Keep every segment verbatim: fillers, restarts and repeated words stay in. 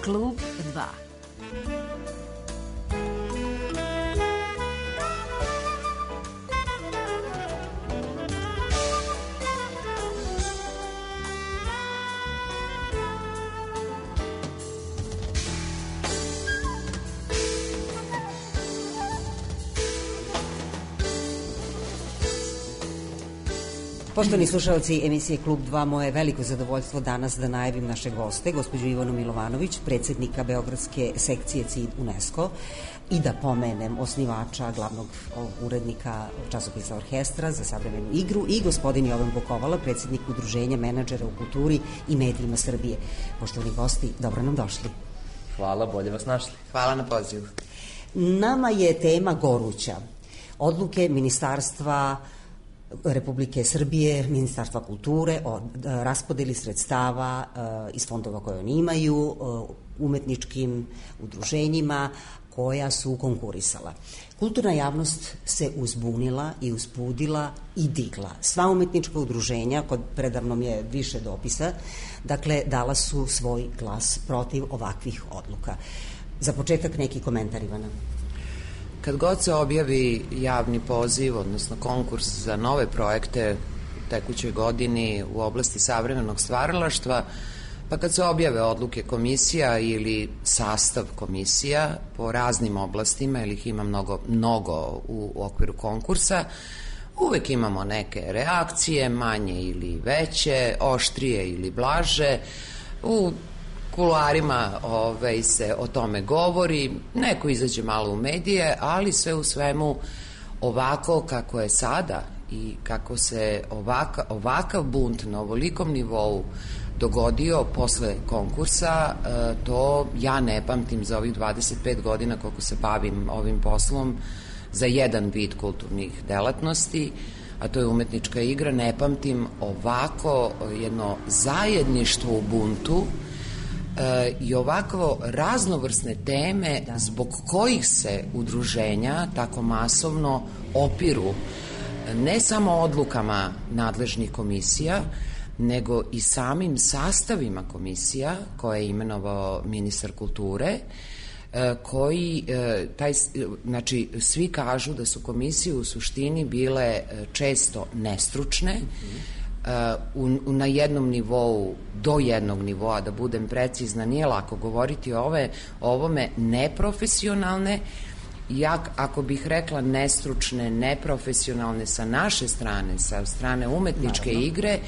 Klub dva. Poštovani slušalci emisije Klub dva, moje je veliko zadovoljstvo danas da najavim naše goste, gospođu Ivanu Milovanović, predsjednika Beogradske sekcije C I D UNESCO, i da pomenem osnivača, glavnog urednika časopisa Orkestra za savremenu igru, i gospodin Jovan Bukovala, predsjednik Udruženja menadžera u kulturi i medijima Srbije. Poštovani gosti, dobro nam došli. Hvala, bolje vas našli. Hvala na pozivu. Nama je tema goruća. Odluke Ministarstva Republike Srbije, Ministarstva kulture o raspodeli sredstava iz fondova koje oni imaju umetničkim udruženjima koja su konkurisala. Kulturna javnost se uzbunila i uzbudila i digla. Sva umetnička udruženja, kod predavnom je više dopisa, dakle dala su svoj glas protiv ovakvih odluka. Za početak neki komentar, Ivana. Kad god se objavi javni poziv, odnosno konkurs za nove projekte u tekućoj godini u oblasti savremenog stvaralaštva, pa kad se objave odluke komisija ili sastav komisija po raznim oblastima, ili ih ima mnogo, mnogo u okviru konkursa, uvek imamo neke reakcije, manje ili veće, oštrije ili blaže. U kuloarima ovaj, se o tome govori, neko izađe malo u medije, ali sve u svemu ovako kako je sada i kako se ovaka, ovakav bunt na ovolikom nivou dogodio posle konkursa, to ja ne pamtim za ovih dvadeset pet godina koliko se bavim ovim poslom za jedan vid kulturnih delatnosti, a to je umetnička igra. Ne pamtim ovako jedno zajedništvo u buntu i ovakvo raznovrsne teme zbog kojih se udruženja tako masovno opiru ne samo odlukama nadležnih komisija, nego i samim sastavima komisija koje je imenovao ministar kulture, koji, taj, znači, svi kažu da su komisije u suštini bile često nestručne, Uh, na jednom nivou, do jednog nivoa, da budem precizna, nije lako govoriti o ove, ovome, neprofesionalne. Ja, ako bih rekla nestručne, neprofesionalne sa naše strane, sa strane umetničke Naravno. igre,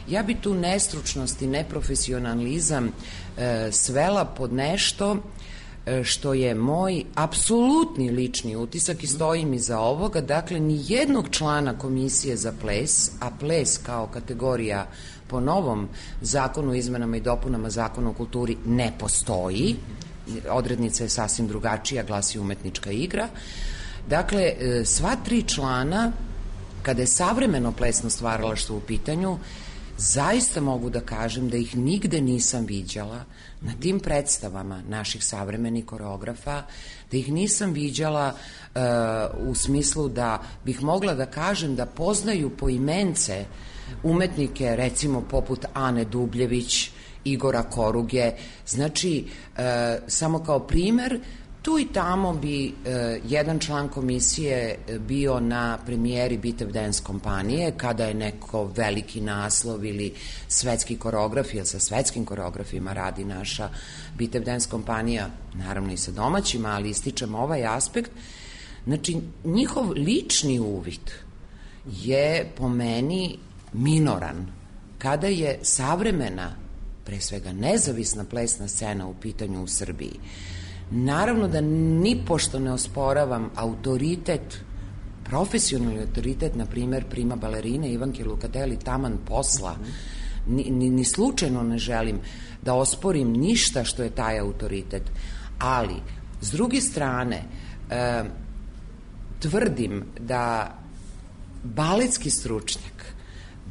ja bi tu nestručnost i neprofesionalizam uh, svela pod nešto što je moj apsolutni lični utisak i stojim iza ovoga. Dakle, ni jednog člana komisije za ples, a ples kao kategorija po novom zakonu o izmenama i dopunama Zakona o kulturi ne postoji, odrednica je sasvim drugačija, glasi umetnička igra. Dakle, sva tri člana, kada je savremeno plesno stvaralaštvo u pitanju, zaista mogu da kažem da ih nigde nisam viđala na tim predstavama naših savremenih koreografa, da ih nisam viđala uh, u smislu da bih mogla da kažem da poznaju poimence umetnike, recimo poput Ane Dubljević, Igora Koruge. Znači, uh, samo kao primer, tu i tamo bi e, jedan član komisije bio na premijeri Bitev Dance kompanije, kada je neko veliki naslov ili svetski koreograf, jer sa svetskim koreografima radi naša Bitev Dance kompanija, naravno i sa domaćima, ali ističem ovaj aspekt. Znači, njihov lični uvid je po meni minoran. Kada je savremena, pre svega nezavisna plesna scena u pitanju u Srbiji, naravno da nipošto ne osporavam autoritet, profesionalni autoritet, na primer prima balerine Ivanke Lukateli, taman posla. Ni, ni, ni slučajno ne želim da osporim ništa što je taj autoritet, ali s druge strane e, tvrdim da baletski stručnjak,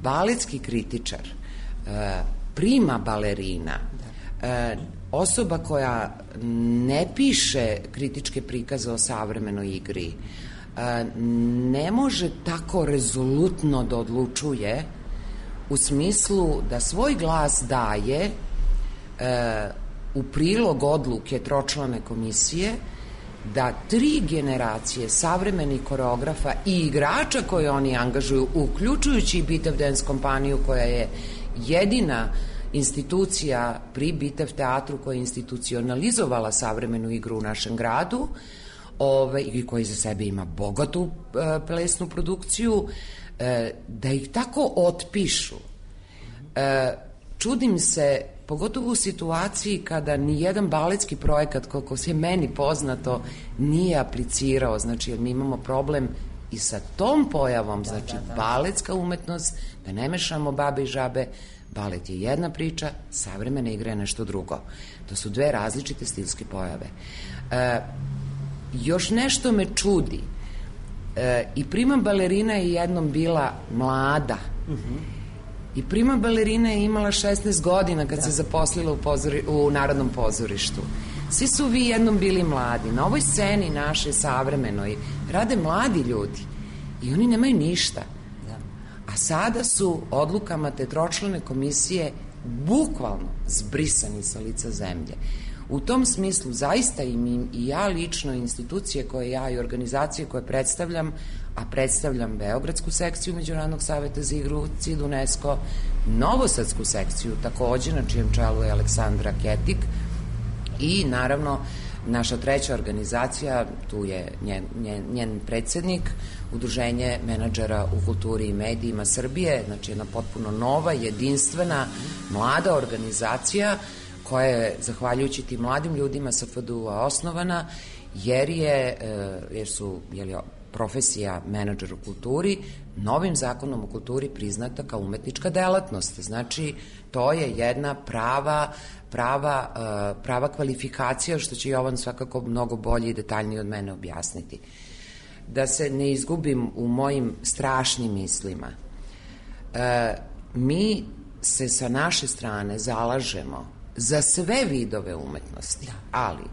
baletski kritičar, e, prima balerina, e, osoba koja ne piše kritičke prikaze o savremenoj igri, ne može tako rezolutno da odlučuje u smislu da svoj glas daje u prilog odluke tročlane komisije da tri generacije savremenih koreografa i igrača koje oni angažuju, uključujući i Bitev Dance kompaniju koja je jedina institucija pri Bitev teatru koja je institucionalizovala savremenu igru u našem gradu, ove, i koji za sebe ima bogatu e, plesnu produkciju, e, da ih tako otpišu. E, čudim se, pogotovo u situaciji kada ni jedan baletski projekat, koliko se meni poznato, nije aplicirao. Znači, jer mi imamo problem i sa tom pojavom, znači da, da, da. Baletska umetnost, da ne mešamo babe i žabe, balet je jedna priča, savremena igra je nešto drugo. To su dve različite stilske pojave. E, još nešto me čudi. E, I prima balerina je jednom bila mlada. Mhm. I prima balerina je imala šesnaest godina kad da. se zaposlila u, pozori, u Narodnom pozorištu. Svi su vi jednom bili mladi. Na ovoj sceni naše savremenoj rade mladi ljudi i oni nemaju ništa. Da. A sada su odlukama te tročlane komisije bukvalno zbrisani sa lica zemlje. U tom smislu zaista i, mi, i ja lično, institucije koje ja i organizacije koje predstavljam, a predstavljam Beogradsku sekciju Međunarodnog saveta za igru C I D UNESCO, Novosadsku sekciju takođe, na čijem čelu je Aleksandra Ketik, i naravno naša treća organizacija, tu je njen, njen, njen predsednik, Udruženje menadžera u kulturi i medijima Srbije, znači jedna potpuno nova, jedinstvena, mlada organizacija koja je, zahvaljujući tim mladim ljudima sa F D U-a osnovana, jer je, jer su, jer je profesija menadžer u kulturi novim zakonom o kulturi priznata kao umetnička delatnost. Znači, to je jedna prava, prava, prava kvalifikacija, što će Jovan svakako mnogo bolje i detaljnije od mene objasniti. Da se ne izgubim u mojim strašnim mislima, mi se sa naše strane zalažemo za sve vidove umetnosti, ali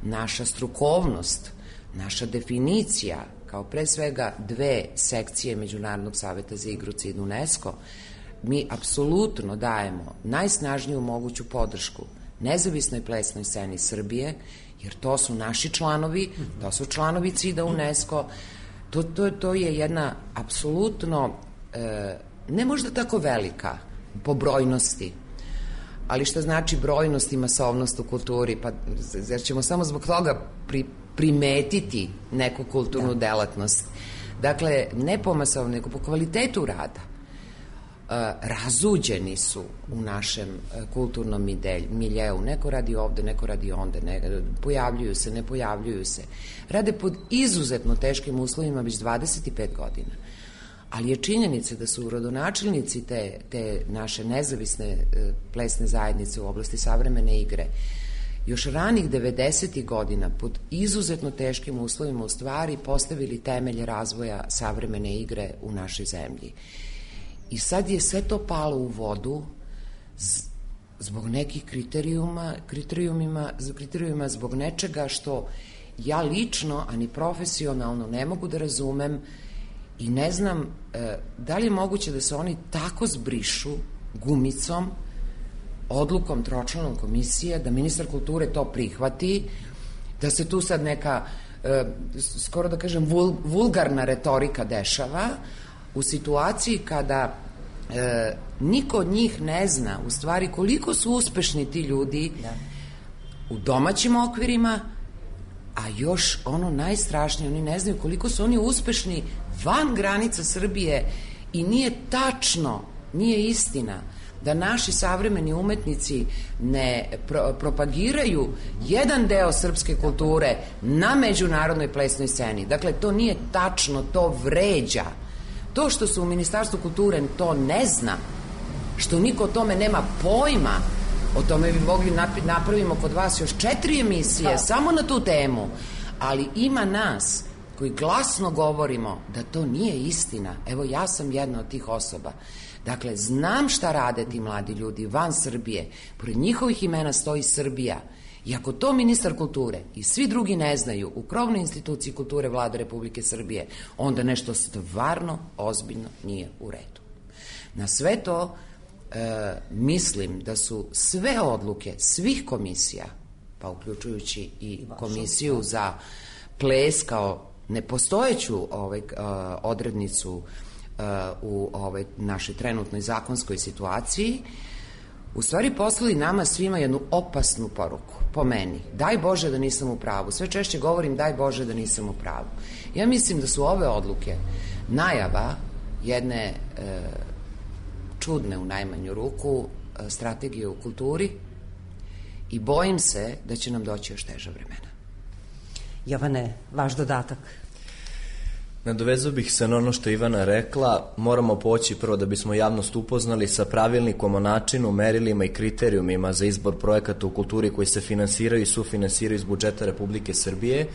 naša strukovnost, naša definicija, kao pre svega dve sekcije Međunarodnog saveta za igru C I D UNESCO, mi apsolutno dajemo najsnažniju moguću podršku nezavisnoj plesnoj sceni Srbije, jer to su naši članovi, to su članovi C I D-a UNESCO, to, to, to je jedna apsolutno, e, ne možda tako velika po brojnosti, ali šta znači brojnost i masovnost u kulturi, pa jer ćemo samo zbog toga pri, primetiti neku kulturnu da. delatnost. Dakle, ne po masovnosti, nego po kvalitetu rada. E, razuđeni su u našem kulturnom miljeu. Neko radi ovde, neko radi onde, ne, pojavljuju se, ne pojavljuju se. Rade pod izuzetno teškim uslovima već dvadeset pet godina. Ali je činjenica da su rodonačelnici te, te naše nezavisne e, plesne zajednice u oblasti savremene igre još ranih devedesetih godina pod izuzetno teškim uslovima u stvari postavili temelje razvoja savremene igre u našoj zemlji. I sad je sve to palo u vodu zbog nekih kriterijuma, kriterijumima, kriterijuma zbog nečega što ja lično, a ni profesionalno ne mogu da razumem. I ne znam e, da li je moguće da se oni tako zbrišu gumicom, odlukom tročlanom komisije, da ministar kulture to prihvati, da se tu sad neka, e, skoro da kažem, vul, vulgarna retorika dešava u situaciji kada e, niko od njih ne zna u stvari koliko su uspešni ti ljudi da. u domaćim okvirima, a još ono najstrašnije, oni ne znaju koliko su oni uspešni van granica Srbije i nije tačno, nije istina da naši savremeni umetnici ne pro, propagiraju jedan deo srpske kulture na međunarodnoj plesnoj sceni. Dakle, to nije tačno, to vređa. To što se u Ministarstvu kulture to ne zna, što niko o tome nema pojma, o tome bi mogli napravimo kod vas još četiri emisije, samo na tu temu, ali ima nas koji glasno govorimo da to nije istina. Evo, ja sam jedna od tih osoba. Dakle, znam šta rade ti mladi ljudi van Srbije, pored njihovih imena stoji Srbija. I ako to ministar kulture i svi drugi ne znaju u krovnoj instituciji kulture Vlade Republike Srbije, onda nešto stvarno ozbiljno nije u redu. Na sve to e, mislim da su sve odluke svih komisija, pa uključujući i komisiju za ples kao nepostojeću ovaj, odrednicu u ovaj, našoj trenutnoj zakonskoj situaciji, u stvari poslali nama svima jednu opasnu poruku, po meni. Daj Bože da nisam u pravu. Sve češće govorim daj Bože da nisam u pravu. Ja mislim da su ove odluke najava jedne e, čudne u najmanju ruku e, strategije u kulturi i bojim se da će nam doći još teža vremena. Jovane, vaš dodatak? Nadovezao bih se na ono što je Ivana rekla. Moramo poći prvo da bismo javnost upoznali sa pravilnikom o načinu, merilima i kriterijumima za izbor projekata u kulturi koji se finansiraju i sufinansiraju iz budžeta Republike Srbije.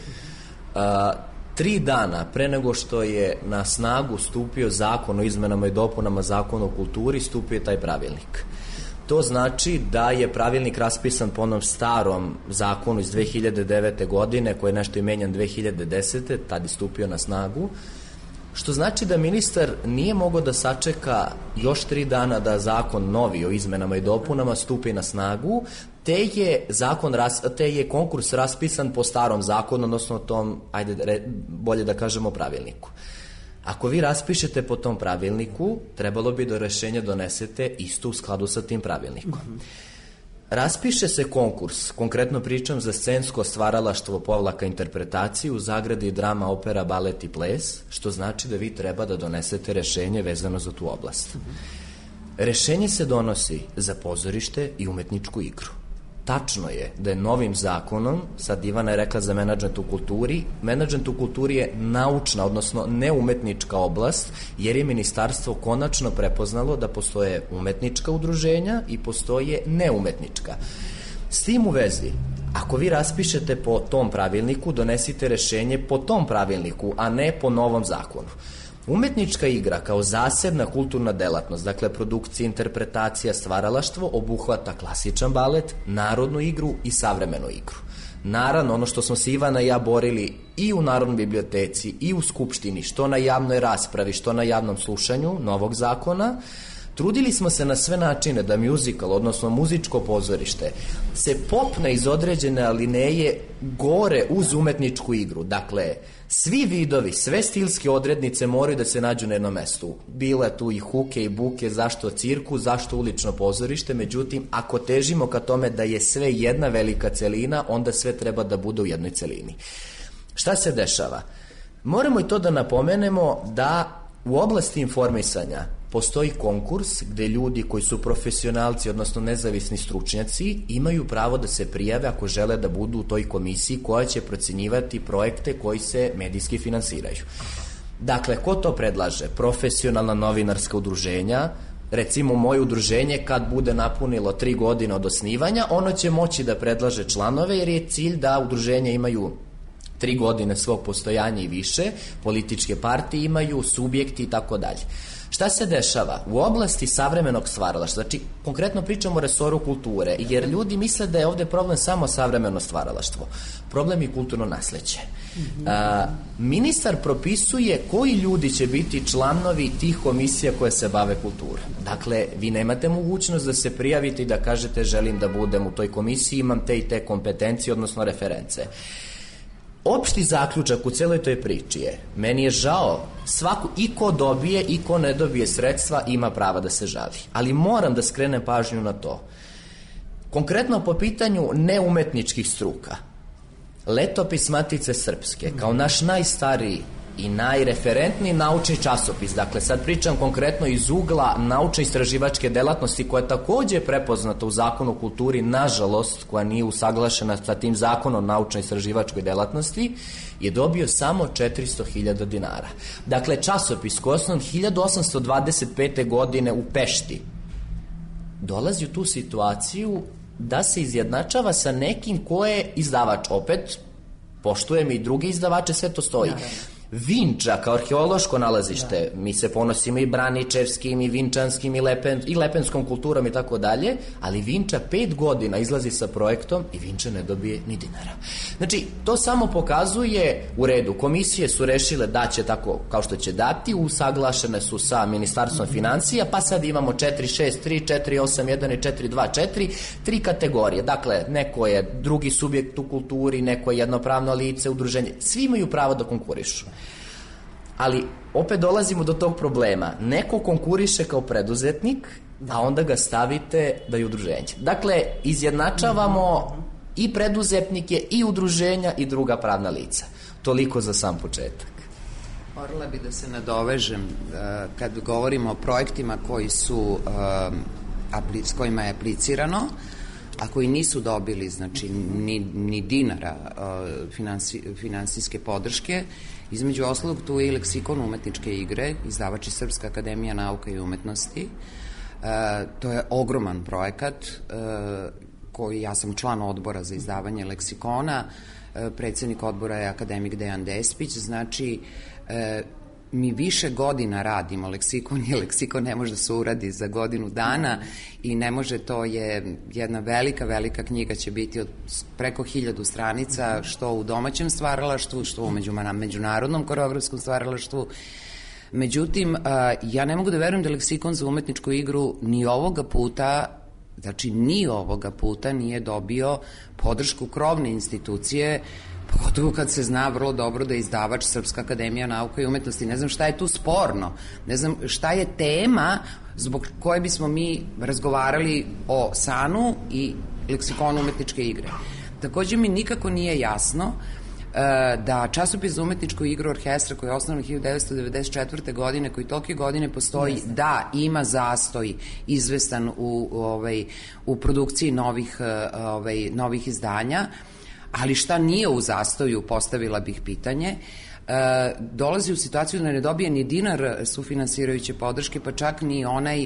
A, tri dana pre nego što je na snagu stupio zakon o izmenama i dopunama zakona o kulturi, stupio je taj pravilnik. To znači da je pravilnik raspisan po onom starom zakonu iz dve hiljade devete. godine, koji je nešto i menjan dve hiljade desete. tad je stupio na snagu, što znači da ministar nije mogao da sačeka još tri dana da zakon novi o izmenama i dopunama stupi na snagu, te je, zakon, te je konkurs raspisan po starom zakonu, odnosno tom, ajde bolje da kažemo, pravilniku. Ako vi raspišete po tom pravilniku, trebalo bi da rešenje donesete isto u skladu sa tim pravilnikom. Raspiše se konkurs, konkretno pričam za scensko stvaralaštvo povlaka interpretaciju, u zagradi drama, opera, balet i ples, što znači da vi treba da donesete rešenje vezano za tu oblast. Rešenje se donosi za pozorište i umetničku igru. Tačno je da je novim zakonom, sad Ivana je rekla za menadžment u kulturi, menadžment u kulturi je naučna, odnosno neumetnička oblast, jer je ministarstvo konačno prepoznalo da postoje umetnička udruženja i postoje neumetnička. S tim u vezi, ako vi raspišete po tom pravilniku, donesite rešenje po tom pravilniku, a ne po novom zakonu. Umetnička igra kao zasebna kulturna delatnost, dakle produkcija, interpretacija, stvaralaštvo, obuhvata klasičan balet, narodnu igru i savremenu igru. Naravno, ono što smo se Ivana i ja borili i u Narodnoj biblioteci i u Skupštini, što na javnoj raspravi, što na javnom slušanju novog zakona, trudili smo se na sve načine da muzikal, odnosno muzičko pozorište, se popne iz određene alineje gore uz umetničku igru. Dakle, svi vidovi, sve stilske odrednice moraju da se nađu na jednom mestu. Bile tu i huke i buke, zašto cirkus, zašto ulično pozorište, međutim, ako težimo ka tome da je sve jedna velika celina, onda sve treba da bude u jednoj celini. Šta se dešava? Moramo i to da napomenemo da u oblasti informisanja postoji konkurs gde ljudi koji su profesionalci, odnosno nezavisni stručnjaci, imaju pravo da se prijave ako žele da budu u toj komisiji koja će procenjivati projekte koji se medijski finansiraju. Dakle, ko to predlaže? Profesionalna novinarska udruženja, recimo moje udruženje kad bude napunilo tri godine od osnivanja, ono će moći da predlaže članove jer je cilj da udruženja imaju tri godine svog postojanja i više, političke partije imaju, subjekti i tako dalje. Šta se dešava? U oblasti savremenog stvaralaštva, znači konkretno pričamo o resoru kulture, jer ljudi misle da je ovde problem samo savremeno stvaralaštvo. Problem je kulturno nasleđe. A, ministar propisuje koji ljudi će biti članovi tih komisija koje se bave kulturom. Dakle, vi nemate mogućnost da se prijavite i da kažete želim da budem u toj komisiji, imam te i te kompetencije, odnosno reference. Opšti zaključak u celoj toj priči je, meni je žao, svaku, i ko dobije i ko ne dobije sredstva ima prava da se žali. Ali moram da skrenem pažnju na to. Konkretno po pitanju neumetničkih struka, Letopis Matice Srpske, kao naš najstariji i najreferentniji naučni časopis, dakle sad pričam konkretno iz ugla naučno-istraživačke delatnosti koja je takođe prepoznata u zakonu o kulturi, nažalost koja nije usaglašena sa tim zakonom o naučno-istraživačkoj delatnosti, je dobio samo četiristo hiljada dinara. Dakle, časopis koji je osnovan hiljadu osamsto dvadeset pete. godine u Pešti dolazi u tu situaciju da se izjednačava sa nekim ko je izdavač. Opet, poštujem i druge izdavače, sve to stoji. Vinča kao arheološko nalazište, da. Mi se ponosimo i braničevskim i vinčanskim i, lepen, i lepenskom kulturom i tako dalje, ali Vinča pet godina izlazi sa projektom i Vinča ne dobije ni dinara. Znači, to samo pokazuje, u redu, komisije su rešile da će tako kao što će dati, usaglašene su sa Ministarstvom financija, pa sad imamo četiri šest tri, četiri osam jedan i četiri dva četiri, tri kategorije. Dakle, neko je drugi subjekt u kulturi, neko je jednopravno lice, udruženje, svi imaju pravo da konkurišu. Ali opet dolazimo do tog problema. Neko konkuriše kao preduzetnik, a onda ga stavite da je udruženje. Dakle, izjednačavamo i preduzetnike i udruženja i druga pravna lica. Toliko za sam početak. Morala bi da se nadovežem kad govorimo o projektima koji su s kojima je aplicirano, a koji nisu dobili znači ni, ni dinara finansi, finansijske podrške. Između ostalog tu je i leksikon umetničke igre, izdavač je Srpska akademija nauka i umetnosti. E, to je ogroman projekat e, koji, ja sam član odbora za izdavanje leksikona, e, predsednik odbora je akademik Dejan Despić, znači e, mi više godina radimo leksikon i leksikon ne može da se uradi za godinu dana i ne može, to je jedna velika, velika knjiga, će biti od preko hiljadu stranica, što u domaćem stvaralaštvu, što u međunarodnom koreografskom stvaralaštvu. Međutim, ja ne mogu da verujem da leksikon za umetničku igru ni ovoga puta, znači ni ovoga puta nije dobio podršku krovne institucije, pogotovo kad se zna vrlo dobro da je izdavač Srpska akademija nauka i umetnosti. Ne znam šta je tu sporno, ne znam šta je tema zbog koje bismo mi razgovarali o SANU i leksikonu umetničke igre. Takođe mi nikako nije jasno da časopis za umetničku igru orkestra koji je osnovan hiljadu devetsto devedeset četvrte. godine, koji tolike godine postoji, Jeste. da ima zastoj izvestan u, u, ovaj, u produkciji novih, ovaj, novih izdanja, ali šta nije u zastoju, postavila bih pitanje, e, dolazi u situaciju da ne dobije ni dinar sufinansirajuće podrške, pa čak ni onaj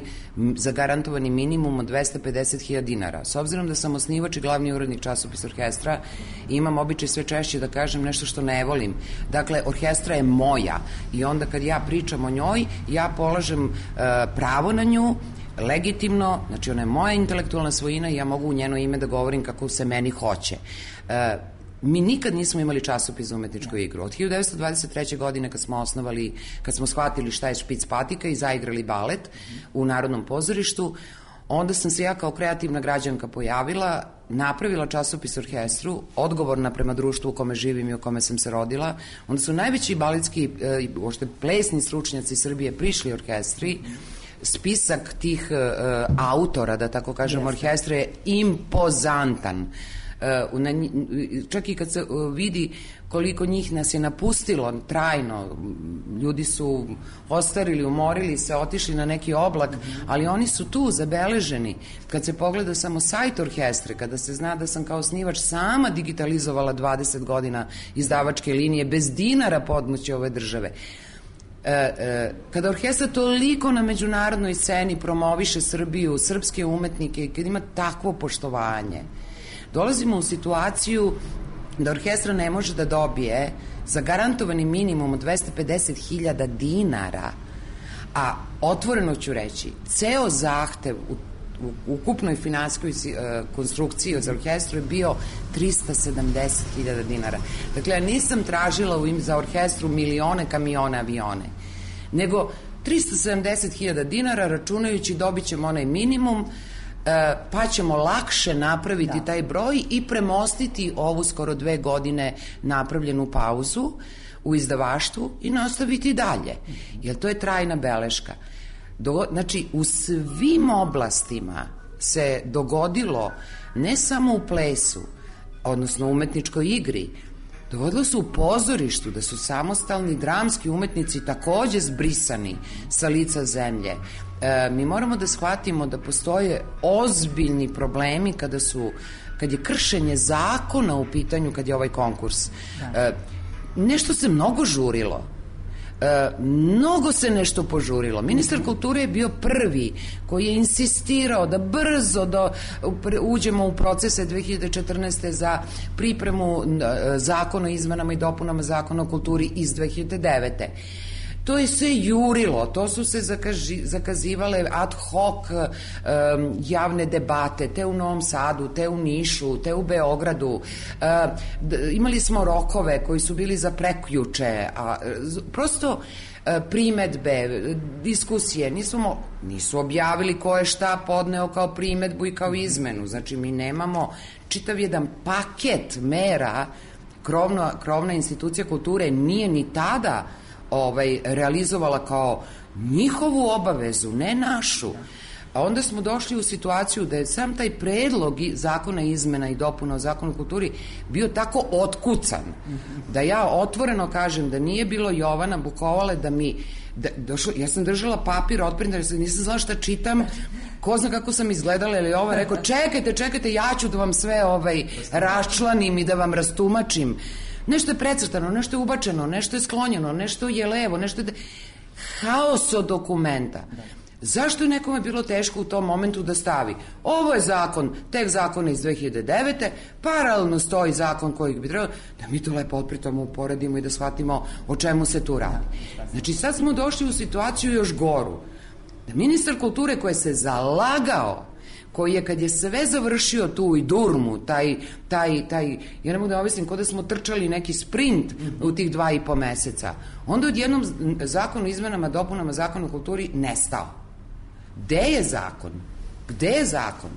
zagarantovani minimum od dvesta pedeset hiljada dinara. S obzirom da sam osnivač i glavni urednik časopisa orkestra, imam običaj sve češće da kažem nešto što ne volim. Dakle, orkestra je moja i onda kad ja pričam o njoj, ja polažem e, pravo na nju, legitimno, znači ona je moja intelektualna svojina i ja mogu u njeno ime da govorim kako se meni hoće. E, mi nikad nismo imali časopis za umetničku igru. Od hiljadu devetsto dvadeset treće. godine kad smo osnovali, kad smo shvatili šta je špic patika i zaigrali balet u Narodnom pozorištu, onda sam se ja kao kreativna građanka pojavila, napravila časopis orkestru, odgovorna prema društvu u kome živim i u kome sam se rodila. Onda su najveći baletski, uopšte plesni stručnjaci Srbije prišli orkestri. Spisak tih uh, autora, da tako kažem, orkestra je impozantan. Uh, na, čak i kad se uh, vidi koliko njih nas je napustilo trajno, ljudi su ostarili, umorili se, otišli na neki oblak, ali oni su tu zabeleženi. Kad se pogleda samo sajt orkestre, kada se zna da sam kao osnivač sama digitalizovala dvadeset godina izdavačke linije bez dinara podmoći ove države, E, e, kada orkestra toliko na međunarodnoj sceni promoviše Srbiju, srpske umetnike i kad ima takvo poštovanje, dolazimo u situaciju da orkestra ne može da dobije zagarantovani minimum od dvesta pedeset hiljada dinara, a otvoreno ću reći, ceo zahtev u u ukupnoj finansijskoj uh, konstrukciji za orkestru je bio trista sedamdeset hiljada dinara. Dakle, ja nisam tražila u im za orkestru milione, kamione, avione, nego trista sedamdeset hiljada dinara, računajući dobit ćemo onaj minimum, uh, pa ćemo lakše napraviti da. taj broj i premostiti ovu skoro dve godine napravljenu pauzu u izdavaštvu i nastaviti dalje, jer to je trajna beleška. Do, znači, u svim oblastima se dogodilo, ne samo u plesu, odnosno umetničkoj igri, dogodilo se u pozorištu, da su samostalni dramski umetnici takođe zbrisani sa lica zemlje. E, mi moramo da shvatimo da postoje ozbiljni problemi kada su, kad je kršenje zakona u pitanju, kad je ovaj konkurs. E, nešto se mnogo žurilo. E, mnogo se nešto požurilo. Ministar kulture je bio prvi koji je insistirao da brzo do, uđemo u procese dve hiljade četrnaeste. za pripremu e, zakona o izmenama i dopunama zakona o kulturi iz dve hiljade devete. To je sve jurilo, to su se zakaži, zakazivale ad hoc um, javne debate, te u Novom Sadu, te u Nišu, te u Beogradu. Uh, d, imali smo rokove koji su bili za prekjuče, a prosto uh, primetbe, diskusije, nismo, nisu objavili ko je šta podneo kao primetbu i kao izmenu. Znači, mi nemamo čitav jedan paket mera, krovna, krovna institucija kulture nije ni tada Ovaj, realizovala kao njihovu obavezu, ne našu. A onda smo došli u situaciju da je sam taj predlog zakona izmena i dopuna o zakonu o kulturi bio tako otkucan, da ja otvoreno kažem da nije bilo Jovana Bukovale da mi da, došlo, ja sam držala papir otprinta, nisam znala šta čitam, ko zna kako sam izgledala, ili ovo rekao, čekajte, čekajte, ja ću da vam sve ovaj, raščlanim i da vam rastumačim. Nešto je precrtano, nešto je ubačeno, nešto je sklonjeno, nešto je levo, nešto je... Haos od dokumenta. Zašto je nekome bilo teško u tom momentu da stavi? Ovo je zakon, tek zakona iz dve hiljade devete. Paralelno stoji zakon koji bi trebalo, da mi to lepo otpritom uporedimo i da shvatimo o čemu se tu radi. Znači, sad smo došli u situaciju još goru. Da ministar kulture koji se zalagao, koji je kad je sve završio tu i durmu, taj, taj, taj, ja ne mogu da ovislim, kod da smo trčali neki sprint u tih dva i po meseca, onda odjednom zakon o izmenama, dopunama zakona o kulturi nestao. Gde je zakon? Gde je zakon?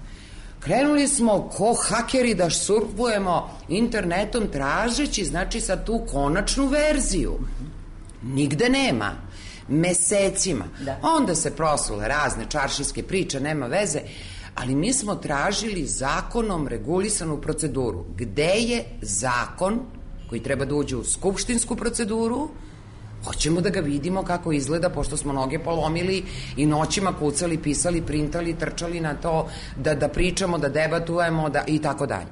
Krenuli smo ko hakeri da surfujemo internetom tražeći, znači, sad tu konačnu verziju. Nigde nema. Mesecima. Da. Onda se prosule razne čaršijske priče, nema veze, ali mi smo tražili zakonom regulisanu proceduru. Gde je zakon koji treba da uđe u skupštinsku proceduru? Hoćemo da ga vidimo kako izgleda, pošto smo noge polomili i noćima kucali, pisali, printali, trčali na to da, da pričamo, da debatujemo da, i tako dalje.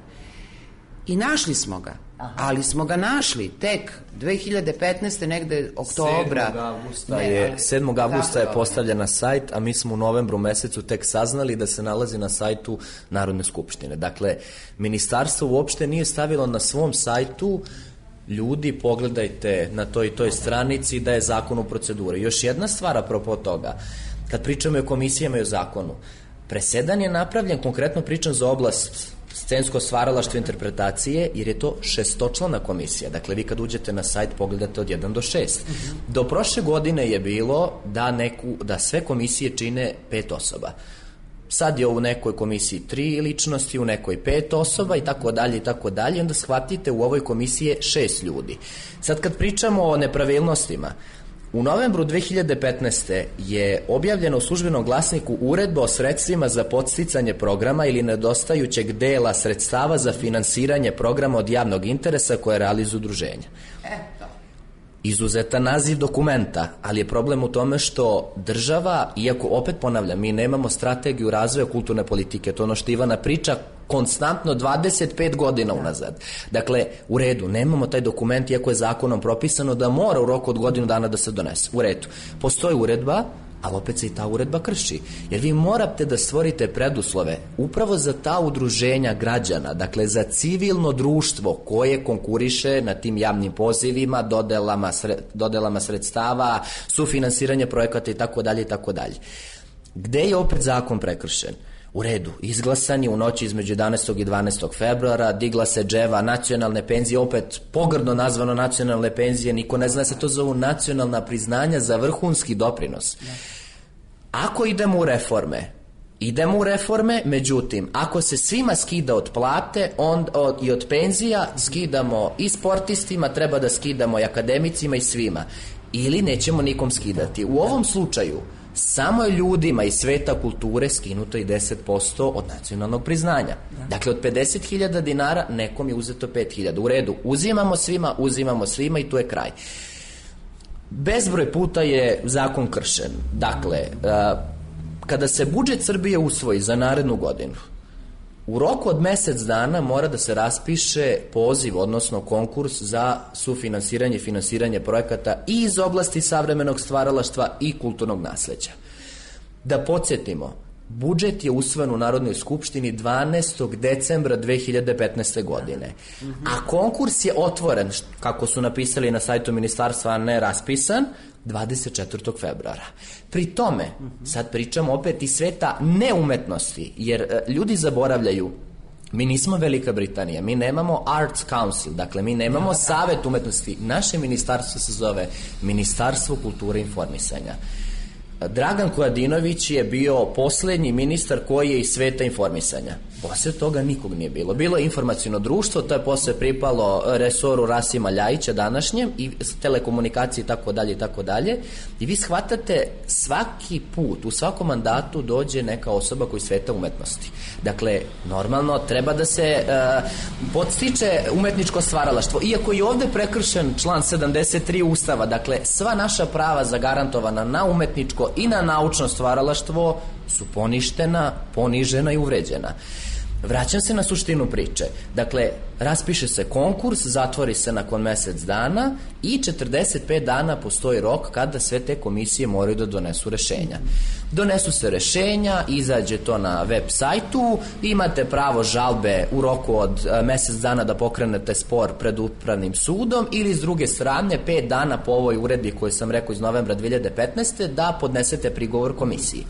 I našli smo ga. Aha. Ali smo ga našli tek dve hiljade petnaeste. negde oktobra. sedmog avgusta je, sedmog avgusta je postavljen na sajt, a mi smo u novembru mesecu tek saznali da se nalazi na sajtu Narodne skupštine. Dakle, ministarstvo uopšte nije stavilo na svom sajtu ljudi, pogledajte na toj i toj stranici da je zakon u proceduri. Još jedna stvar apropo toga, kad pričamo o komisijama i o zakonu, presedan je napravljen, konkretno pričam za oblast scensko stvaralaštvo interpretacije, jer je to šestočlana komisija. Dakle, vi kad uđete na sajt pogledate od jedan do šest. Do prošle godine je bilo da, neku, da sve komisije čine pet osoba. Sad je u nekoj komisiji tri ličnosti, u nekoj pet osoba i tako dalje i tako dalje. Onda shvatite u ovoj komisiji je šest ljudi. Sad kad pričamo o nepravilnostima, u novembru dve hiljade petnaeste. je objavljeno u službenom glasniku uredba o sredstvima za podsticanje programa ili nedostajućeg dela sredstava za finansiranje programa od javnog interesa koje realizuju udruženja. Eto. Izuzetan naziv dokumenta, ali je problem u tome što država, iako opet ponavljam, mi nemamo strategiju razvoja kulturne politike, to ono što Ivana priča konstantno dvadeset pet godina unazad. Dakle, u redu, nemamo taj dokument, iako je zakonom propisano da mora u roku od godinu dana da se donese. U redu. Postoji uredba, ali opet se i ta uredba krši. Jer vi morate da stvorite preduslove upravo za ta udruženja građana, dakle za civilno društvo koje konkuriše na tim javnim pozivima, dodelama, sred, dodelama sredstava, sufinansiranje projekata i tako dalje i tako dalje. Gde je opet zakon prekršen? U redu, izglasan je u noći između jedanaestog i dvanaestog februara, digla se dževa nacionalne penzije, opet pogrdno nazvano nacionalne penzije, niko ne zna se to zovu nacionalna priznanja za vrhunski doprinos. Ako idemo u reforme, idemo u reforme, međutim, ako se svima skida od plate on, od, i od penzija, skidamo i sportistima, treba da skidamo i akademicima i svima. Ili nećemo nikom skidati. U ovom slučaju, samo je ljudima iz sveta kulture skinuto i deset posto od nacionalnog priznanja. Dakle, od pedeset hiljada dinara nekom je uzeto pet hiljada. U redu, uzimamo svima, uzimamo svima i tu je kraj. Bezbroj puta je zakon kršen. Dakle, kada se budžet Srbije usvoji za narednu godinu, u roku od mesec dana mora da se raspiše poziv, odnosno konkurs za sufinansiranje i finansiranje projekata i iz oblasti savremenog stvaralaštva i kulturnog nasleđa. Da podsjetimo, budžet je usvojen u Narodnoj skupštini dvanaestog decembra dve hiljade petnaeste. godine, a konkurs je otvoren, kako su napisali na sajtu ministarstva, a ne raspisan, dvadeset četvrtog februara. Pri tome, sad pričamo opet iz sveta neumetnosti, jer ljudi zaboravljaju, mi nismo Velika Britanija, mi nemamo Arts Council, dakle mi nemamo savet umetnosti, naše ministarstvo se zove Ministarstvo kulture i informisanja. Dragan Kojadinović je bio poslednji ministar koji je iz sveta informisanja. Posle toga nikog nije bilo. Bilo je informaciono društvo, to je posle pripalo resoru Rasima Ljajića današnjem i telekomunikacije i tako dalje i tako dalje. I vi shvatate, svaki put, u svakom mandatu dođe neka osoba koji iz sveta umetnosti. Dakle, normalno treba da se uh, podstiče umetničko stvaralaštvo. Iako je ovde prekršen član sedamdeset tri Ustava, dakle, sva naša prava zagarantovana na umetničko i na naučno stvaralaštvo su poništena, ponižena i uvređena. Vraćam se na suštinu priče. Dakle, raspiše se konkurs, zatvori se nakon mesec dana i četrdeset pet dana postoji rok kada sve te komisije moraju da donesu rešenja. Donesu se rešenja, izađe to na web sajtu, imate pravo žalbe u roku od mesec dana da pokrenete spor pred upravnim sudom ili s druge strane pet dana po ovoj uredbi koju sam rekao iz novembra dve hiljade petnaeste. da podnesete prigovor komisiji.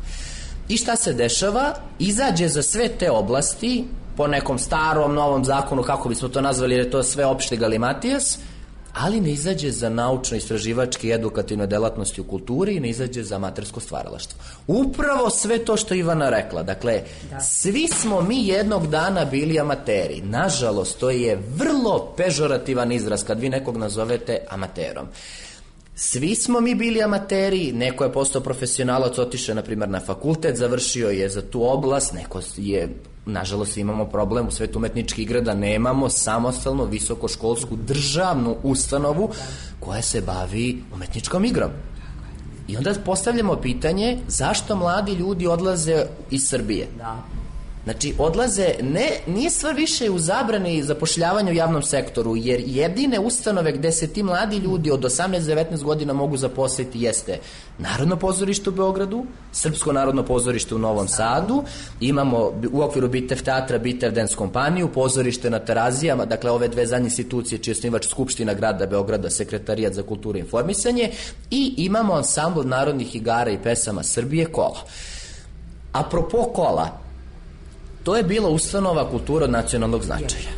I šta se dešava? Izađe za sve te oblasti po nekom starom, novom zakonu, kako bismo to nazvali, jer je to sve opšti galimatijas, ali ne izađe za naučno-istraživačke i edukativne delatnosti u kulturi i ne izađe za amatersko stvaralaštvo. Upravo sve to što Ivana rekla. Dakle, da. Svi smo mi jednog dana bili amateri. Nažalost, to je vrlo pežorativan izraz kad vi nekog nazovete amaterom. Svi smo mi bili amateri, neko je postao profesionalac, otišao na primjer na fakultet, završio je za tu oblast, neko je, nažalost imamo problem u svetu umetničkih igra da nemamo samostalno visokoškolsku državnu ustanovu koja se bavi umetničkom igrom. I onda postavljamo pitanje zašto mladi ljudi odlaze iz Srbije. Da. Znači, odlaze, ne, nije stvar više u zabrani zapošljavanja u javnom sektoru, jer jedine ustanove gde se ti mladi ljudi od osamnaest do devetnaest godina mogu zaposliti jeste Narodno pozorište u Beogradu, Srpsko narodno pozorište u Novom Sadu, imamo u okviru Bitev teatra Bitev dance kompaniju, pozorište na Terazijama, dakle ove dve zadnje institucije čiji je osnivač Skupština grada Beograda, Sekretarijat za kulturu i informisanje, i imamo ansambl narodnih igara i pesama Srbije Kola. Apropo Kola, to je bila ustanova kultura od nacionalnog značaja.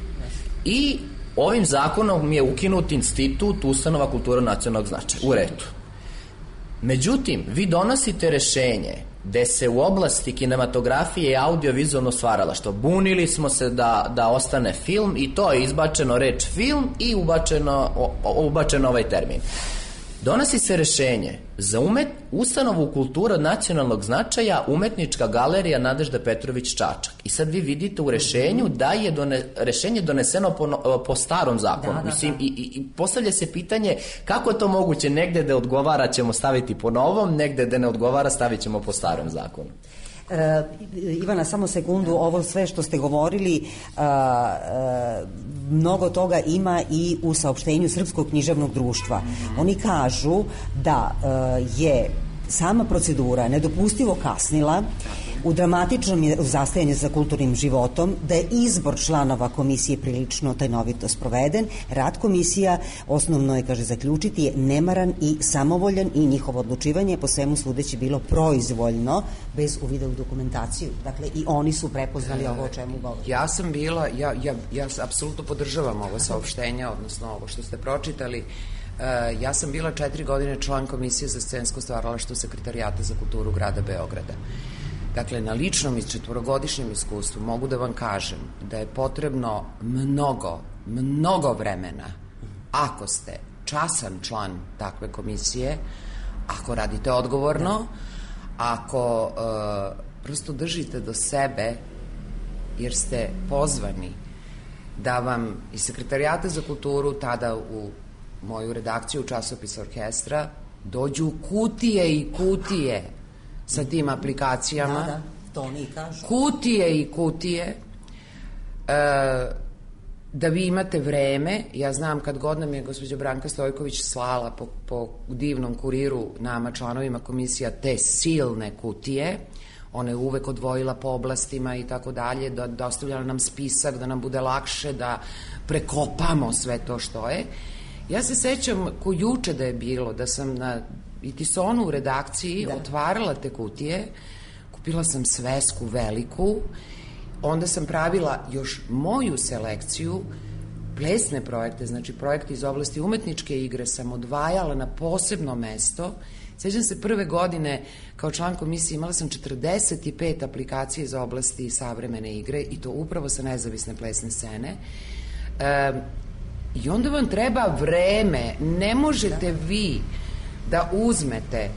I ovim zakonom je ukinut institut ustanova kultura od nacionalnog značaja. U redu. Međutim, vi donosite rešenje gde se u oblasti kinematografije i audio-vizualno stvaralaštvo bunili smo se da, da ostane film i to je izbačeno reč film i ubačeno, o, ubačeno ovaj termin. Donosi se rešenje za umet, ustanovu kultura od nacionalnog značaja Umetnička galerija Nadežda Petrović Čačak. I sad vi vidite u rešenju da je done, rešenje doneseno po, po starom zakonu. Da, da, Mislim, da. I, i postavlja se pitanje kako je to moguće, negde da odgovara ćemo staviti po novom, negde da ne odgovara stavit ćemo po starom zakonu. E, Ivana, samo sekundu, ovo sve što ste govorili, a, a, mnogo toga ima i u saopštenju Srpskog književnog društva. Oni kažu da a, je sama procedura nedopustivo kasnila, u dramatičnom je zastajanju za kulturnim životom, da je izbor članova komisije prilično tajnovito sproveden. Rad komisija, osnovno je, kaže, zaključiti, je nemaran i samovoljan i njihovo odlučivanje po svemu sudeći bilo proizvoljno, bez uvida u dokumentaciju. Dakle, i oni su prepoznali ovo o čemu govorim. Ja sam bila, ja, ja, ja apsolutno podržavam ovo saopštenja, odnosno ovo što ste pročitali. Uh, ja sam bila četiri godine član komisije za scensko stvaralaštvo Sekretarijata za kulturu grada Beograda. Dakle, na ličnom i četvorogodišnjem iskustvu mogu da vam kažem da je potrebno mnogo, mnogo vremena ako ste časan član takve komisije, ako radite odgovorno, ako uh, prosto držite do sebe, jer ste pozvani da vam iz Sekretarijata za kulturu, tada u moju redakciju časopisa Orkestra, dođu kutije i kutije sa tim aplikacijama. Da, da, to oni kažu. Kutije i kutije da vi imate vreme. Ja znam kad god nam je gospođa Branka Stojković slala po, po divnom kuriru nama, članovima komisija, te silne kutije, ona je uvek odvojila po oblastima i tako dalje, da dostavljala nam spisak, da nam bude lakše da prekopamo sve to što je. Ja se sećam ko juče da je bilo, da sam na Itisonu u redakciji da. otvarala te kutije, kupila sam svesku veliku, onda sam pravila još moju selekciju, plesne projekte, znači projekte iz oblasti umetničke igre sam odvajala na posebno mesto. Sećam se prve godine kao član komisije imala sam četrdeset pet aplikacija iz oblasti savremene igre i to upravo sa nezavisne plesne scene. E, I onda vam treba vreme, ne možete da. vi da uzmete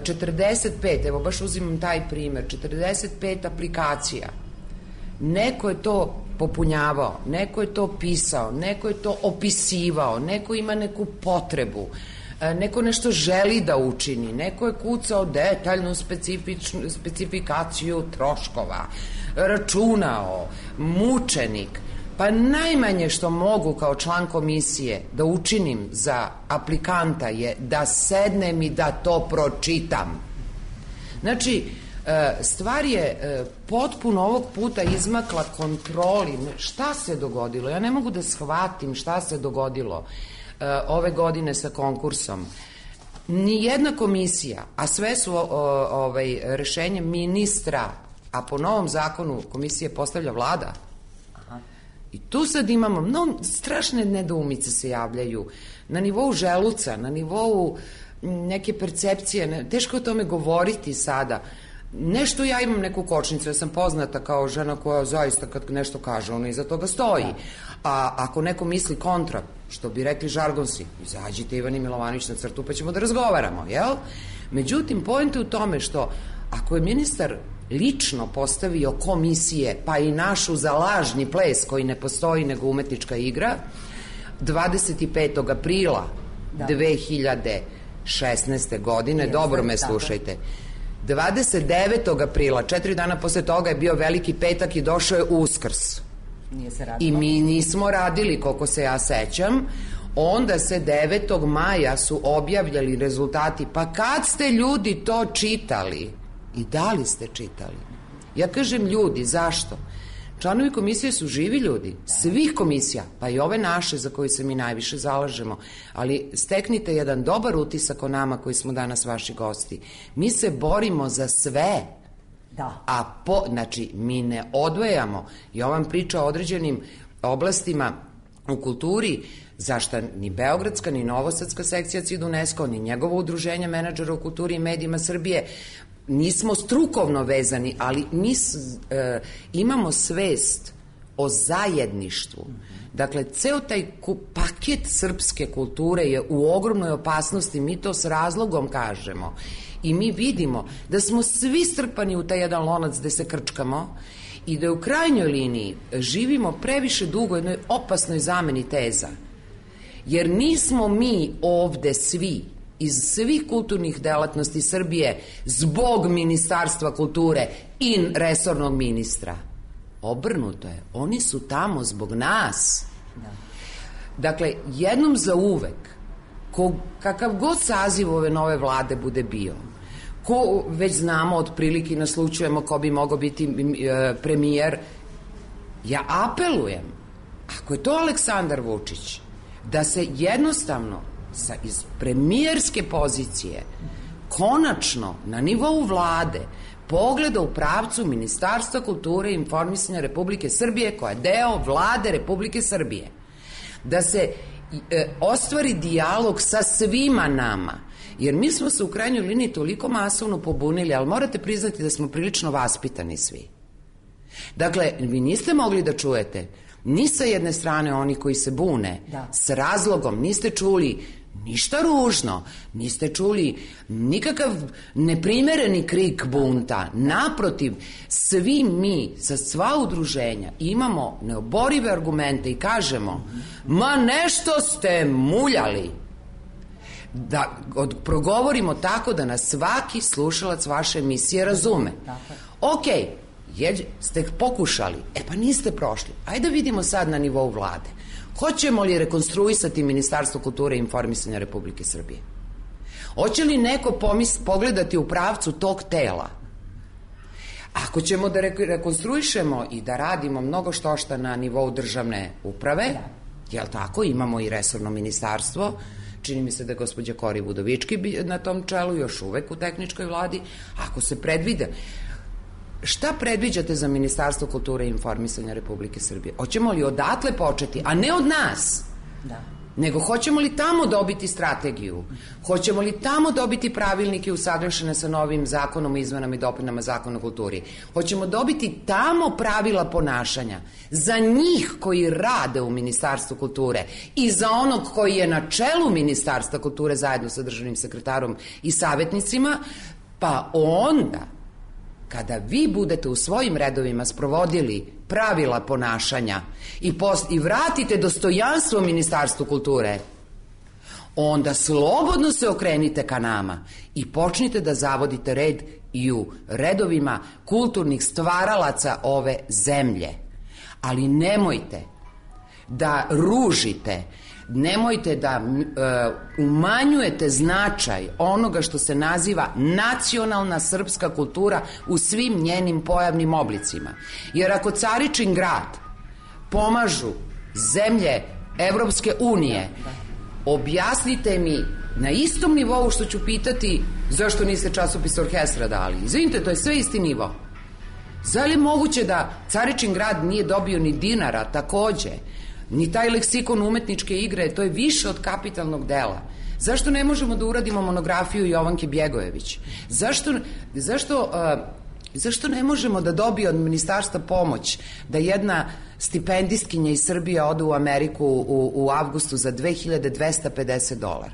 četrdeset pet, evo baš uzimam taj primer, četrdeset pet aplikacija. Neko je to popunjavao, neko je to pisao, neko je to opisivao, neko ima neku potrebu, neko nešto želi da učini, neko je kucao detaljnu specifikaciju troškova, računao, mučenik. Pa najmanje što mogu kao član komisije da učinim za aplikanta je da sednem i da to pročitam. Znači, stvar je potpuno ovog puta izmakla kontroli. Šta se dogodilo? Ja ne mogu da shvatim šta se dogodilo ove godine sa konkursom. Nijedna komisija, a sve su ovaj, rešenje ministra, a po novom zakonu komisije postavlja vlada. I tu sad imamo, no, strašne nedoumice se javljaju na nivou želuca, na nivou neke percepcije, ne, teško o tome govoriti sada. Nešto ja imam neku kočnicu, ja sam poznata kao žena koja zaista kad nešto kaže, ona iza toga stoji. A ako neko misli kontra, što bi rekli žargonsi, izađite Ivani Milovanović na crtu pa ćemo da razgovaramo, jel? Međutim, point je u tome što ako je ministar lično postavio komisije, pa i našu za lažni ples koji ne postoji nego umetnička igra, dvadeset petog aprila da. dve hiljade šesnaeste. godine, Jeste, dobro me slušajte, dvadeset devetog aprila, četiri dana posle toga je bio Veliki petak i došao je Uskrs. Nije se radilo. I mi nismo radili, koliko se ja sećam. Onda se devetog maja su objavljali rezultati. Pa kad ste ljudi to čitali? I da li ste čitali? Ja kažem ljudi, zašto? Članovi komisije su živi ljudi, svih komisija, pa i ove naše za koje se mi najviše zalažemo, ali steknite jedan dobar utisak o nama koji smo danas vaši gosti. Mi se borimo za sve, da. a po, znači mi ne odvajamo. I ovam priča o određenim oblastima u kulturi, zašta ni Beogradska, ni Novosadska sekcija C I D UNESCO, ni njegovo udruženje menadžera u kulturi i medijima Srbije, nismo strukovno vezani, ali mi e, imamo svest o zajedništvu. Dakle, ceo taj paket srpske kulture je u ogromnoj opasnosti, mi to s razlogom kažemo. I mi vidimo da smo svi strpani u taj jedan lonac gde se krčkamo i da u krajnjoj liniji živimo previše dugo jednoj opasnoj zameni teza. Jer nismo mi ovde svi iz svih kulturnih delatnosti Srbije zbog Ministarstva kulture i resornog ministra. Obrnuto je. Oni su tamo zbog nas. Da. Dakle, jednom za uvek, ko, kakav god saziv ove nove vlade bude bio, ko već znamo otprilike, naslučujemo ko bi mogao biti e, premijer, ja apelujem, ako je to Aleksandar Vučić, da se jednostavno sa, iz premijerske pozicije konačno na nivou vlade pogleda u pravcu Ministarstva kulture i informisanja Republike Srbije, koja je deo vlade Republike Srbije. Da se e, ostvari dijalog sa svima nama, jer mi smo se u krajnjoj liniji toliko masovno pobunili, ali morate priznati da smo prilično vaspitani svi. Dakle, vi niste mogli da čujete ni sa jedne strane oni koji se bune, da. S razlogom, niste čuli ništa ružno, niste čuli nikakav neprimereni krik bunta. Naprotiv, svi mi, sa sva udruženja, imamo neoborive argumente i kažemo, ma nešto ste muljali. Da od, progovorimo tako da nas svaki slušalac vaše emisije razume. Ok, Jeđe, ste pokušali, e pa niste prošli. Ajde da vidimo sad na nivou vlade. Hoćemo li rekonstruisati Ministarstvo kulture i informisanja Republike Srbije? Hoće li neko pomis, pogledati u pravcu tog tela? Ako ćemo da rekonstruišemo i da radimo mnogo štošta na nivou državne uprave, jel tako, imamo i resorno ministarstvo, čini mi se da je gospođa Kori Budovički na tom čelu, još uvek u tehničkoj vladi, ako se predvide, šta predviđate za Ministarstvo kulture i informisanja Republike Srbije? Hoćemo li odatle početi, a ne od nas? Da. Nego hoćemo li tamo dobiti strategiju? Hoćemo li tamo dobiti pravilnike usaglašene sa novim zakonom o izmenama i dopunama Zakona o kulturi? Hoćemo dobiti tamo pravila ponašanja za njih koji rade u Ministarstvu kulture i za onog koji je na čelu Ministarstva kulture zajedno sa državnim sekretarom i savjetnicima, pa onda kada vi budete u svojim redovima sprovodili pravila ponašanja i, post, i vratite dostojanstvo Ministarstvu kulture, onda slobodno se okrenite ka nama i počnite da zavodite red i u redovima kulturnih stvaralaca ove zemlje. Ali nemojte da ružite, nemojte da uh, umanjujete značaj onoga što se naziva nacionalna srpska kultura u svim njenim pojavnim oblicima. Jer ako Caričin grad pomažu zemlje Evropske unije, objasnite mi na istom nivou što ću pitati zašto niste časopis orkestra dali. Izvinite, to je sve isti nivo. Zar je moguće da Caričin grad nije dobio ni dinara takođe? Ni taj leksikon umetničke igre, to je više od kapitalnog dela. Zašto ne možemo da uradimo monografiju Jovanke Bjegojević? Zašto, zašto, uh, zašto ne možemo da dobije od ministarstva pomoć da jedna stipendistkinja iz Srbije ode u Ameriku u, u avgustu za dve hiljade dvesta pedeset dolara?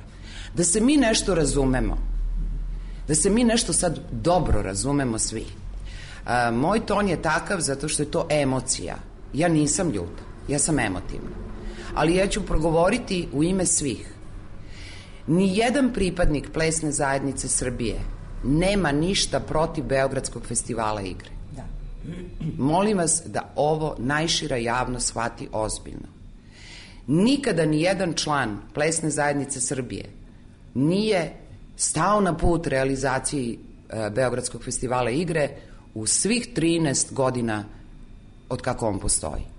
Da se mi nešto razumemo. Da se mi nešto sad dobro razumemo svi. Uh, moj ton je takav zato što je to emocija. Ja nisam ljuta. Ja sam emotivna. Ali ja ću progovoriti u ime svih. Nijedan pripadnik plesne zajednice Srbije nema ništa protiv Beogradskog festivala igre. Da. Molim vas da ovo najšira javnost shvati ozbiljno. Nikada nijedan član plesne zajednice Srbije nije stao na put realizaciji e, Beogradskog festivala igre u svih trinaest godina od kako on postoji.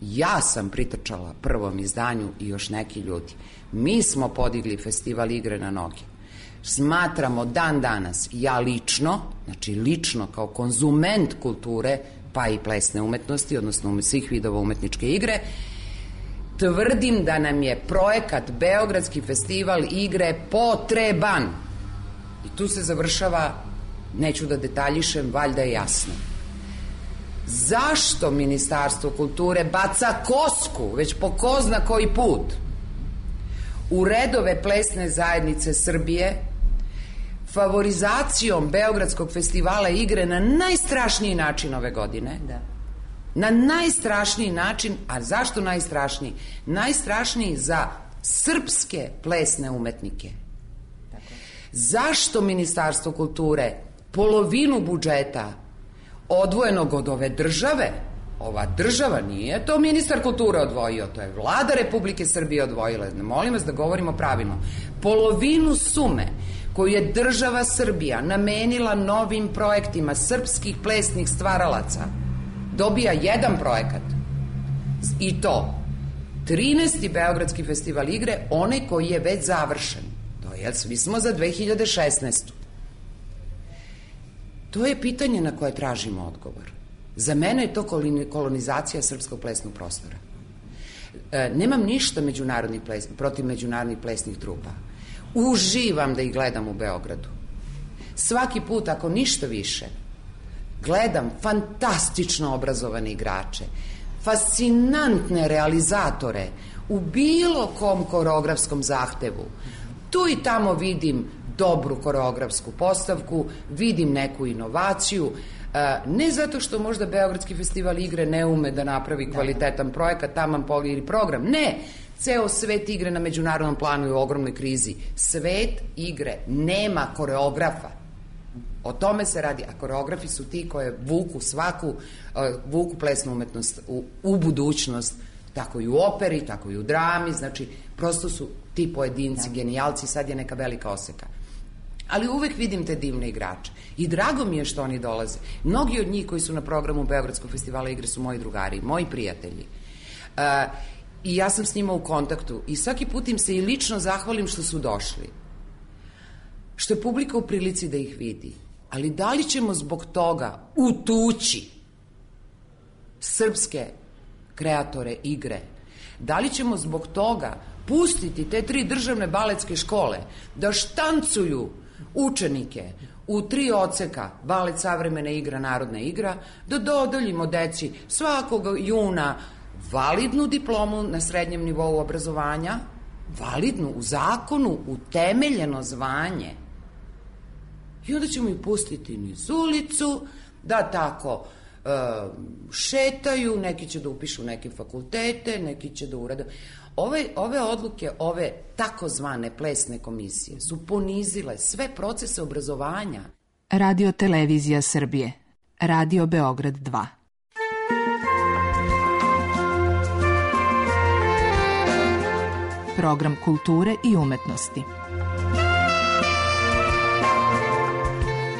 Ja sam pritrčala prvom izdanju i još neki ljudi. Mi smo podigli festival igre na noge. Smatramo dan danas, ja lično, znači lično kao konzument kulture, pa i plesne umetnosti, odnosno svih vidova umetničke igre, tvrdim da nam je projekat Beogradski festival igre potreban. I tu se završava, neću da detaljišem, valjda je jasno. Zašto Ministarstvo kulture baca kosku, već po ko zna koji put, u redove plesne zajednice Srbije, favorizacijom Beogradskog festivala igre na najstrašniji način ove godine? Da. Na najstrašniji način, a zašto najstrašniji? Najstrašniji za srpske plesne umetnike. Tako. Zašto Ministarstvo kulture polovinu budžeta odvojenog od ove države, ova država nije to ministar kulture odvojio, to je vlada Republike Srbije odvojila, molim vas da govorimo pravilno, polovinu sume koju je država Srbija namenila novim projektima srpskih plesnih stvaralaca dobija jedan projekat i to trinaesti Beogradski festival igre, onaj koji je već završen, to je, svi smo za dve hiljade šesnaestu. To je pitanje na koje tražimo odgovor. Za mene je to kolonizacija srpskog plesnog prostora. E, nemam ništa međunarodnih ples, protiv međunarodnih plesnih trupa. Uživam da ih gledam u Beogradu. Svaki put, ako ništa više, gledam fantastično obrazovane igrače, fascinantne realizatore u bilo kom koreografskom zahtevu. Tu i tamo vidim dobru koreografsku postavku, vidim neku inovaciju, ne zato što možda Beogradski festival igre ne ume da napravi kvalitetan projekat, taman poli ili program, ne, ceo svet igre na međunarodnom planu je u ogromnoj krizi. Svet igre nema koreografa. O tome se radi, a koreografi su ti koje vuku svaku, uh, vuku plesnu umetnost u, u budućnost, tako i u operi, tako i u drami, znači prosto su ti pojedinci, da. Genijalci, sad je neka velika oseka. Ali uvek vidim te divne igrače i drago mi je što oni dolaze. Mnogi od njih koji su na programu Beogradskog festivala igre su moji drugari, moji prijatelji. Uh, I ja sam s njima u kontaktu i svaki put im se i lično zahvalim što su došli. Što je publika u prilici da ih vidi. Ali da li ćemo zbog toga utući srpske kreatore igre? Da li ćemo zbog toga pustiti te tri državne baletske škole da štancuju učenike u tri odseka, balet, savremena igra, narodna igra, da dodeljimo deci svakog juna validnu diplomu na srednjem nivou obrazovanja, validnu, u zakonu, utemeljeno zvanje. I onda ćemo ih pustiti niz ulicu, da tako e, šetaju, neki će da upišu neke fakultete, neki će da urade. Ove, ove odluke, ove takozvane plesne komisije su ponizile sve procese obrazovanja. Radio Televizija Srbije. Radio Beograd dva. Program kulture i umetnosti.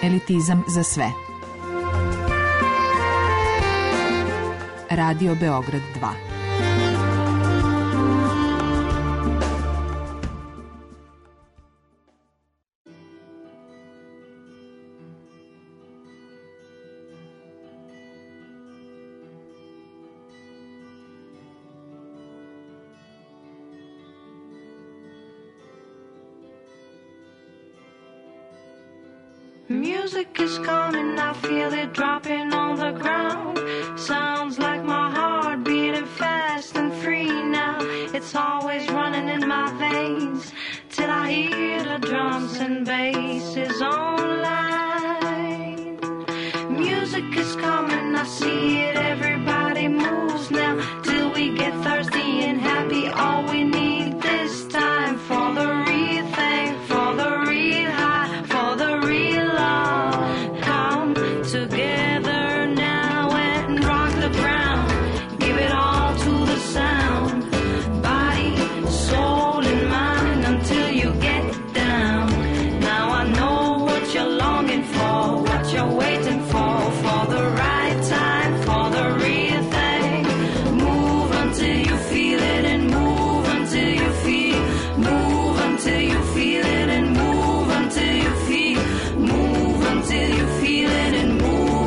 Elitizam za sve. Radio Beograd dva. Music is coming, I feel it dropping on the ground. Sounds like my heart beating fast and free now. It's always running in my veins till I hear the drums and basses online. Music is coming, I see it, everybody moves now till we get thirsty and happy. All we need this time for the real thing, for the real high, for the real together now and rock the ground. Give it all to the sound. Body, soul and mind until you get down. Now I know what you're longing for, what you're waiting for, for the right time, for the real thing. Move until you feel it and move until you feel. Move until you feel it and move until you feel. Move until you feel it and move.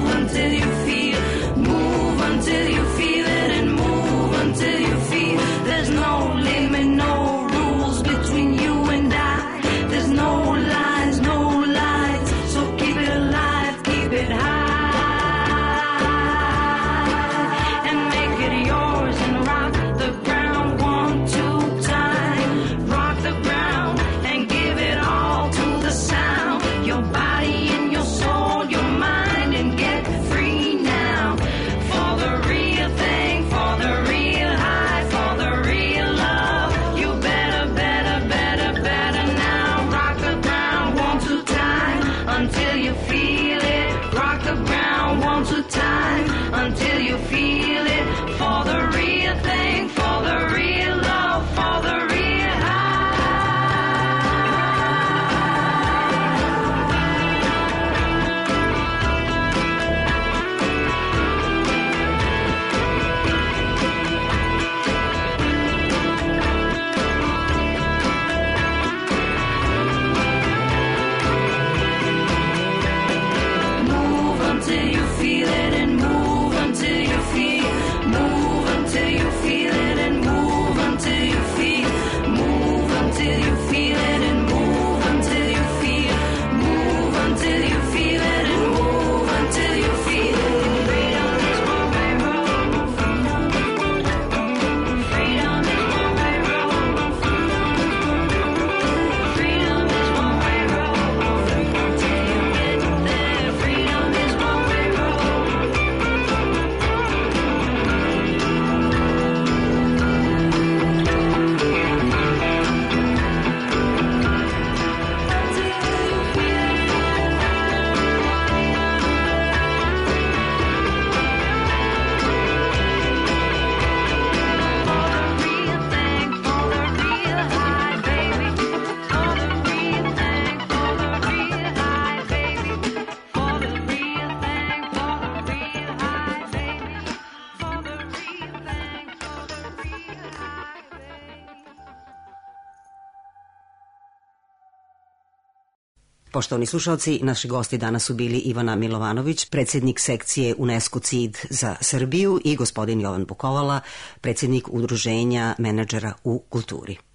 Poštovani slušalci, naši gosti danas su bili Ivana Milovanović, predsjednik sekcije UNESCO C I D za Srbiju, i gospodin Jovan Bukovala, predsjednik Udruženja menadžera u kulturi.